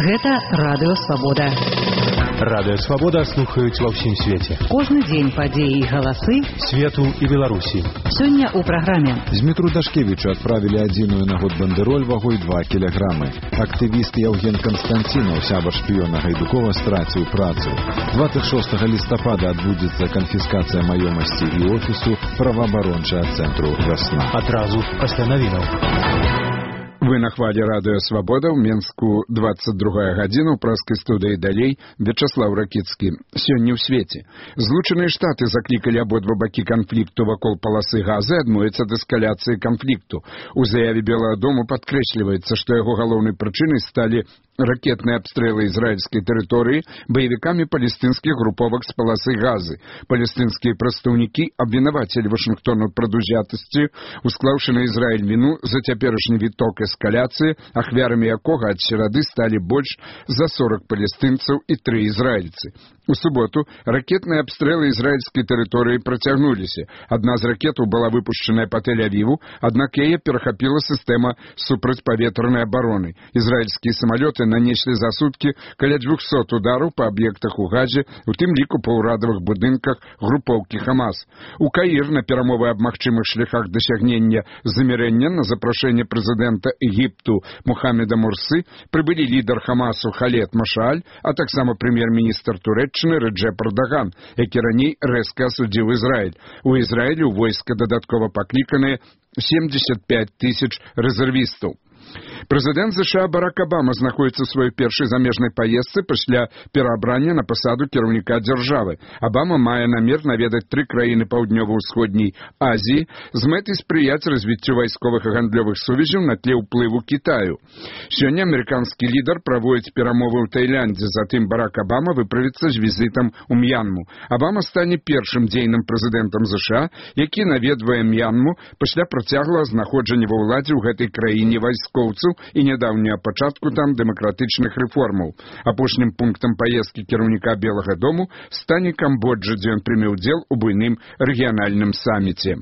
Гэта Радыё Свабода. Радыё Свабода слухаюць ва ўсім свеце. Кожны дзень падзеі і галасы свету і Беларусі. Сёння ў праграме. Змітру Дашкевічу адправілі адзіную на год бандэроль вагой 2 кілаграмы. Актывіст Яўген Канстанцінаў, сябар шпіёна Гайдукова, страціў працу. 26 лістапада адбудзецца канфіскацыя маёмасці і офісу праваабарончага цэнтру «Вясна». Адразу пасля навінаў. Вы на хвале Радыё Свабода, ў Менску 22 гадзіна, ў праскай студыі далей Вячаслаў Ракіцкі. Сёння ў свеце. Злучаныя Штаты заклікалі абодва бакі канфлікту вакол паласы Газы адмовіцца ад эскаляцыі канфлікту. У заяве Белага дому падкрэсліваецца, што яго галоўнай прычынай сталі ракетные обстрелы израильской территории боевиками палестинских групповок с полосы Газы. Палестинские прадстаўнікі абвінавацілі Вашингтон у прадузятасці, усклаўшы на Израиль вину за цяперашні віток эскаляцыі, ахвярамі якога ад серады сталі больш за 40 палестинцаў і 3 израильцы. У суботу ракетные обстрелы израильской территории працягнуліся. Одна з ракетаў была выпущенная по Тель-Авиву, аднак яе перахапіла сістэма супрацьпаветранай абароны. Израильские самолеты нанеслі за суткі каля 200 удараў па аб'ектах у Газе, у тым ліку па ўрадавых будынках групоўкі Хамас. У Каір на перамовы аб магчымых шляхах дасягнення замірэння на запрашэнне прэзідэнта Егіпту Мухаммеда Мурсы прыбылі лідар Хамасу Халед Машааль, а таксама прэм'ер-міністр Турэччыны Рэджэп Эрдаган, які раней рэзка асудзіў Ізраіль. У Ізраілі ў войска дадаткова пакліканыя 75 тысяч рэзервістаў. Прэзідэнт США Барак Обама знаходзіцца ў сваёй першай замежнай паездцы пасля пераабрання на пасаду кіраўніка дзяржавы. Обама мае намер наведаць 3 краіны паўднёва-ўсходняй Азіі з мэтай спрыяць развіццю вайсковых і гандлёвых сувязяў на тле ўплыву Кітаю. Сёння амерыканскі лідар праводзіць перамовы ў Таіландзе, затым Барак Обама выправіцца з візітам у М'янму. Обама стане першым дзейным прэзідэнтам США, які наведвае М'янму пасля працяглага знаходжання ва ўладзе ў гэтай краіне вайскоўцаў і нядаўняга пачатку там дэмакратычных рэформаў. Апошнім пунктам паездкі кіраўніка Белага дому стане Камбоджа, дзе ён прыме ўдзел у буйным рэгіянальным саміце.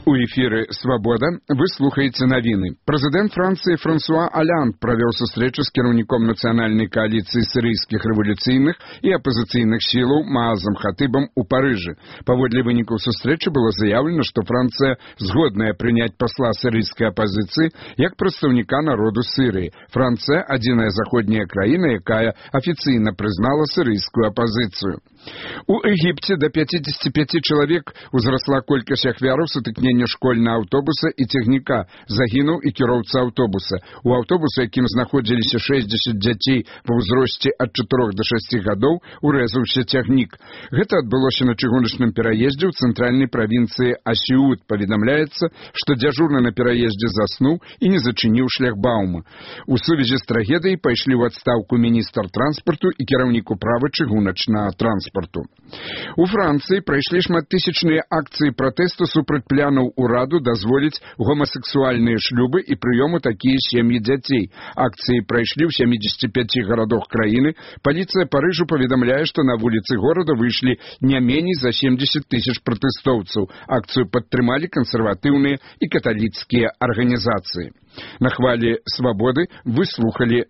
У эфіры «Свабода» вы слухаеце навіны. Прэзідэнт Францыі Франсуа Аллянд правёў сустрэчу з кіраўніком нацыянальнай кааліцыі сірыйскіх рэвалюцыйных і апазіцыйных сілаў Маазам Хатыбам у Парыжы. Паводле вынікаў сустрэчы было заявлена, што Францыя згодная прыняць пасла сірыйскай апазіцыі як прадстаўніка народу Сірыі. Францыя – адзіная заходняя краіна, якая афіцыйна прызнала сірыйскую апазіцыю. У Егіпце да 55 чалавек узрасла колькасць ахвяраў сутыкнення школьнага аўтобуса і цягніка. Загінуў і кіроўца аўтобуса. У аўтобуса, якім знаходзіліся 60 дзяцей ва ўзросце ад 4 до 6 гадоў, урэзаўся цягнік. Гэта адбылося на чыгуначным пераездзе ў цэнтральнай правінцыі Асіут. Паведамляецца, што дзяжурны на пераездзе заснуў і не зачыніў шляхбаума. У сувязі з трагедыяй пайшлі ў адстаўку міністр транспарту і кіраўнік управы чыгуначнага транспарту. У Францыі прайшлі шматтысячныя акцыі пратэсту супраць планаў ураду дазволіць гомасексуальныя шлюбы і прыёму такія сем'і дзяцей. Акцыі прайшлі ў 75 гарадах краіны. Паліцыя Парыжу паведамляе, што на вуліцы горада выйшлі не меней за 70 тысяч пратэстоўцаў. Акцыю падтрымалі кансерватыўныя і каталіцкія арганізацыі. На хвале «Свабоды» вы слухалі